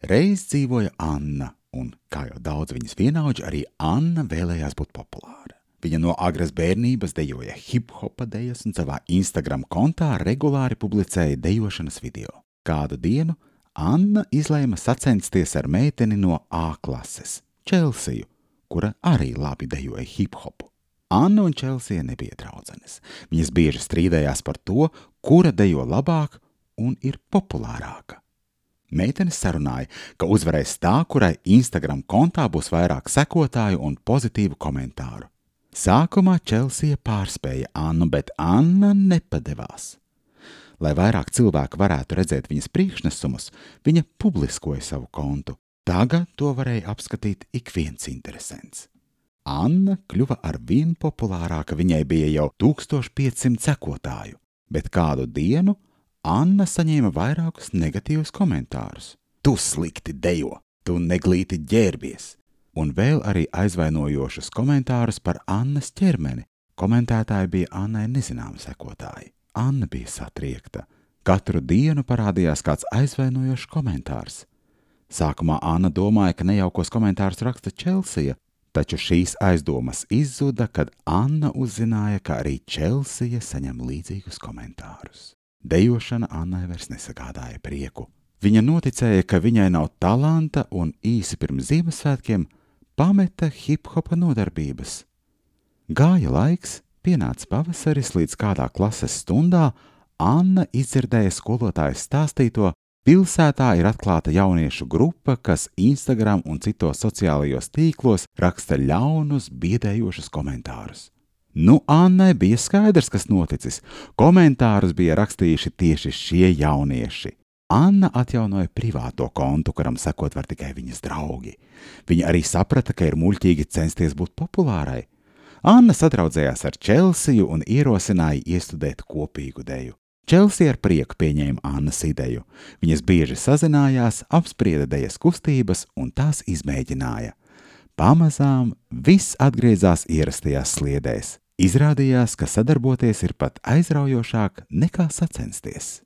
Reiz dzīvoja Anna, un, kā jau daudz viņas vienaudži, arī Anna vēlējās būt populāra. Viņa no agras bērnības dejoja hip-hopa dejas un savā Instagram kontā regulāri publicēja dejošanas video. Kādu dienu Anna izlēma sacensties ar meiteni no A klases, Čelsiju, kura arī labi dejoja hip-hopu. Anna un Čelsija nebija draudzenes. Viņas bieži strīdējās par to, kura dejo labāk un ir populārāka. Meitenes sarunāja, ka uzvarēs tā, kurai Instagram kontā būs vairāk sekotāju un pozitīvu komentāru. Sākumā Čelsija pārspēja Annu, bet Anna nepadevās. Lai vairāk cilvēku varētu redzēt viņas priekšnesumus, viņa publiskoja savu kontu. Tagad to varēja apskatīt ik viens interesants. Anna kļuva arvien populārāka, viņai bija jau 1500 sekotāju, bet kādu dienu Anna saņēma vairākus negatīvus komentārus. Tu slikti dejo, tu neglīti ģērbies, un vēl arī aizvainojošus komentārus par Annas ķermeni. Komentētāji bija Annai nezināmi sekotāji. Anna bija satriekta. Katru dienu parādījās kāds aizvainojošs komentārs. Sākumā Anna domāja, ka nejaukos komentārus raksta Čelsija, taču šīs aizdomas izzuda, kad Anna uzzināja, ka arī Čelsija saņem līdzīgus komentārus. Dejošana Annai vairs nesagādāja prieku. Viņa noticēja, ka viņai nav talanta un īsi pirms Ziemassvētkiem pameta hip-hopa nodarbības. Gāja laiks, pienāca pavasaris, līdz kādā klases stundā Anna izdzirdēja skolotājas stāstīto, pilsētā ir atklāta jauniešu grupa, kas Instagram un citos sociālajos tīklos raksta ļaunus, biedējošus komentārus. Nu, Annai bija skaidrs, kas noticis. Komentārus bija rakstījuši tieši šie jaunieši. Anna atjaunoja privāto kontu, kuram sekot var tikai viņas draugi. Viņa arī saprata, ka ir muļķīgi censties būt populārai. Anna sadraudzējās ar Čelsiju un ierosināja iestudēt kopīgu deju. Čelsija ar prieku pieņēma Annas ideju. Viņas bieži sazinājās, apsprieda dejas kustības un tās izmēģināja. Pamazām viss atgriezās ierastajās sliedēs. Izrādījās, ka sadarboties ir pat aizraujošāk nekā sacensties.